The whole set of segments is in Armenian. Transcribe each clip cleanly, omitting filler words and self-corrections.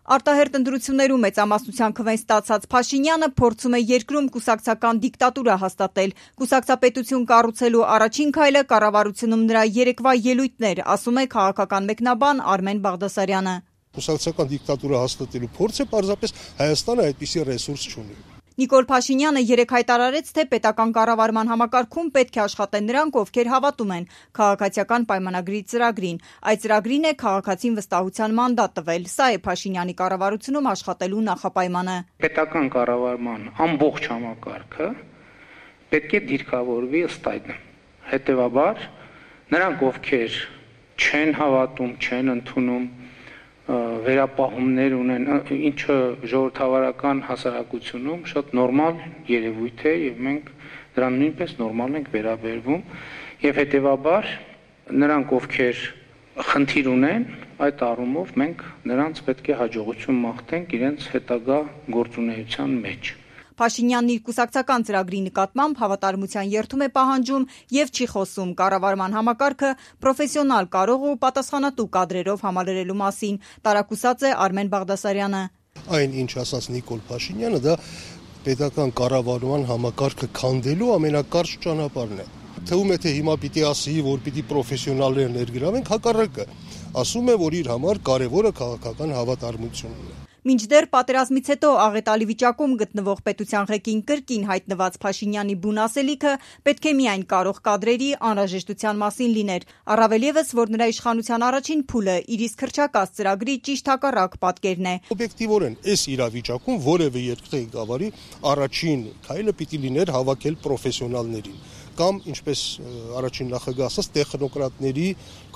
Արտահերտ ընտրություններում մեծամասնության քվեն ստացած Փաշինյանը փորձում է երկրում կուսակցական դիկտատուրա հաստատել։ Կուսակցապետություն կառուցելու առաջին քայլը կառավարությունում նրա երեկվա ելույթներ, ասում է քաղաքական մեկնաբան Արմեն Բաղդասարյանը։ Կուսակցական դիկտատուրա հաստատելու փորձը պարզապես Հայաստանը այդպիսի ռեսուրս չունի։ Նիկոլ Փաշինյանը երեկ հայտարարեց, թե պետական կառավարման համակարգում պետք է աշխատեն նրանք, ովքեր հավատում են քաղաքացիական պայմանագրի ծրագրին։ Այդ ծրագրին է քաղաքացին վստահության մանդատ տվել։ Սա է Փաշինյանի կառավարությունում աշխատելու նախապայմանը։ Պետական կառավարման ամբողջ համակարգը պետք է դիրքավորվի ըստ այդ։ Հետևաբար նրանք, ովքեր չեն հավատում, չեն ընդունում, վերապահումներ ունեն, ինչը ժողովրդավարական հասարակությունում շատ նորմալ երևույթ է եւ մենք դրան նույնպես նորմալ ենք վերաբերվում եւ հետեւաբար նրանք, ովքեր խնդիր ունեն, այդ առումով մենք նրանց պետք է հաջողություն մաղթենք իրենց հետագա գործունեության մեջ։ Փաշինյանն իր կուսակցական ծրագրի նկատմամբ հավատարմության երդում է պահանջում եւ չի խոսում կառավարման համակարգը պրոֆեսիոնալ, կարող ու պատասխանատու կադրերով համալրելու մասին, տարակուսած է Արմեն Բաղդասարյանը։ Այն, ինչ ասաց Նիկոլ Փաշինյանը, դա պետական կառավարման համակարգը քանդելու ամենակարճ ճանապարհն է։ Թվում է, թե հիմա պիտի ասի, որ պիտի պրոֆեսիոնալներ ներգրավենք, հակառակը։ Ասում է, որ իր համար կարևորը քաղաքական հավատարմությունն է։ Մինչդեռ պատերազմից հետո աղետալի վիճակում գտնվող պետության ղեկին կրկին հայտնված Փաշինյանի բուն ասելիքը պետք է միայն կարող կադրերի անհրաժեշտության մասին լիներ, առավել ևս, որ նրա իշխանության առաջին փուլը իր իսկ հռչակած ծրագրի ճիշտ հակառակ պատկերն է։ Օբյեկտիվորեն այս իրավիճակում որևէ երկրի ղեկավարի առաջին քայլը պիտի լիներ հավաքել պրոֆեսիոնալներին կամ, ինչպես առաջին նախագահ ասաց, տեխնոկրատների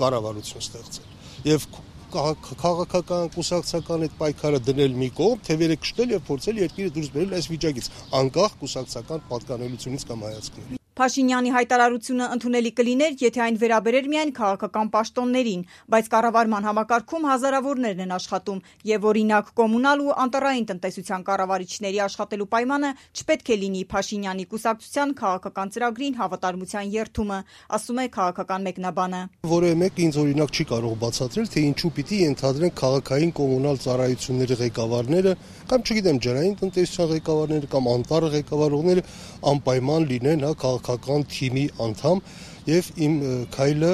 կառավարություն ստեղծել։ Եվ քաղաքական, կուսակցական այդ պայքարը դնել մի կողմ, թևերը կշտել եւ փորձել երկիրը դուրս բերել այս վիճակից, անկախ կուսակցական պատկանելությունից կամ հայացքներից։ Փաշինյանի հայտարարությունը ընդունելի կլիներ, եթե այն վերաբերեր միայն քաղաքական պաշտոններին, բայց կառավարման համակարգում հազարավորներն են աշխատում եւ օրինակ կոմունալ ու անտառային տնտեսության կառավարիչների աշխատելու պայմանը չպետք է լինի Փաշինյանի կուսակցության քաղաքական ծրագրին հավատարմության երդումը, ասում է քաղաքական մեկնաբանը։ Որևէ մեկը ինձ օրինակ չի կարող բացատրել, թե ինչու պիտի ենթադրեն քաղաքային կոմունալ ծառայությունների ղեկավարները կամ չգիտեմ ջրային տնտեսության ղեկավարները կամ անտառ ղեկավարողները անպայման լինեն քաղաքական թիմի անդամ եւ իմ քայլը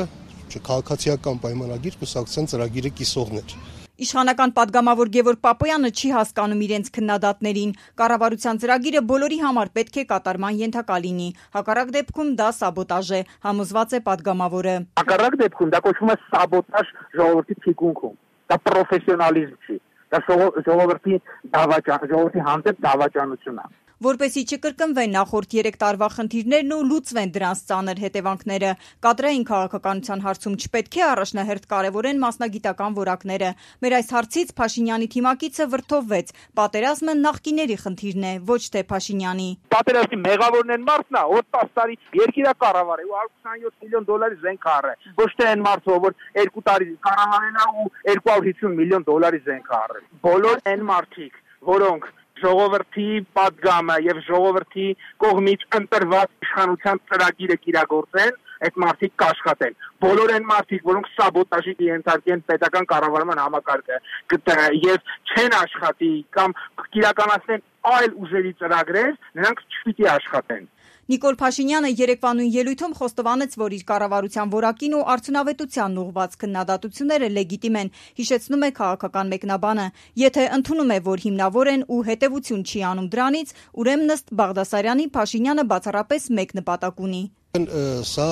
քաղաքացիական պայմանագիր կուսակցության ծրագիրը կիսողներ։ Իշխանական պատգամավոր Գևորգ Պապոյանը չի հասկանում իրենց քննադատներին։ Կառավարության ծրագիրը բոլորի համար պետք է կատարման ենթակա լինի։ Հակառակ դեպքում դա սաբոտաժ է, համոզված է պատգամավորը։ Հակառակ դեպքում դա կոչվում է սաբոտաժ ժողովրդի թիկունքում։ Դա պրոֆեսիոնալիզմ չի։ Դա ժողովրդի հանդեպ դավաճանություն է։ Որպեսզի չկրկնվեն նախորդ 3 տարվա խնդիրներն ու լուծվեն դրանց ծանր հետևանքները, կադրային քաղաքականության հարցում չպետք է առաջնահերթ կարևորեն մասնագիտական որակները։ Մեր այս հարցից Փաշինյանի թիմակիցը վրդովվեց. պատերազմը նախկիների խնդիրն է, ոչ թե Փաշինյանի։ Պատերազմի մեղավորն են մարդն է, որ 10 տարի երկիրը կառավարել է ու 127 միլիոն դոլարի զենք առել։ Ոչ թե այն մարդը, որ 2 տարի կառավարել է ու 250 միլիոն դոլարի զենք առել։ Բոլոր այն մարդիկ, որոնք ժողովրդի պատգամը եւ ժողովրդի կողմից ընտրված իշխանության ծրագիրը կիրագործեն, այդ մարդիկ կաշխատեն։ Բոլոր այն մարդիկ, որոնք սաբոտաժի ենթարկեն պետական կառավարման համակարգը եւ չեն աշխատի կամ կիրականացնեն այլ ուժերի ծրագրեր, նրանք չպիտի աշխատեն։ Նիկոլ Փաշինյանը երեկվա նույն ելույթում խոստովանեց, որ իր կառավարության որակին ու արդյունավետությանն ուղղված քննադատությունները լեգիտիմ են, հիշեցնում է քաղաքական մեկնաբանը։ Եթե ընդունում է, որ հիմնավոր են ու հետևություն չի անում դրանից, ուրեմն ըստ Բաղդասարյանի Փաշինյանը բացառապես մեկ նպատակ ունի։ Սա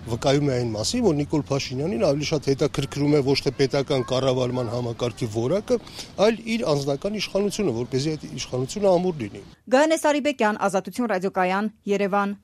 վկայում է այն մասին, որ Նիկոլ Փաշինյանին ավելի շատ հետաքրքրում է ոչ թե պետական կառավարման համակարգի որակը, այլ իր անձնական իշխանությունը, որպեսզի այդ իշխանությունը ամուր լինի։ Գայանե Սարիբեկյան, Ազատություն ռադիոկայան, Երևան։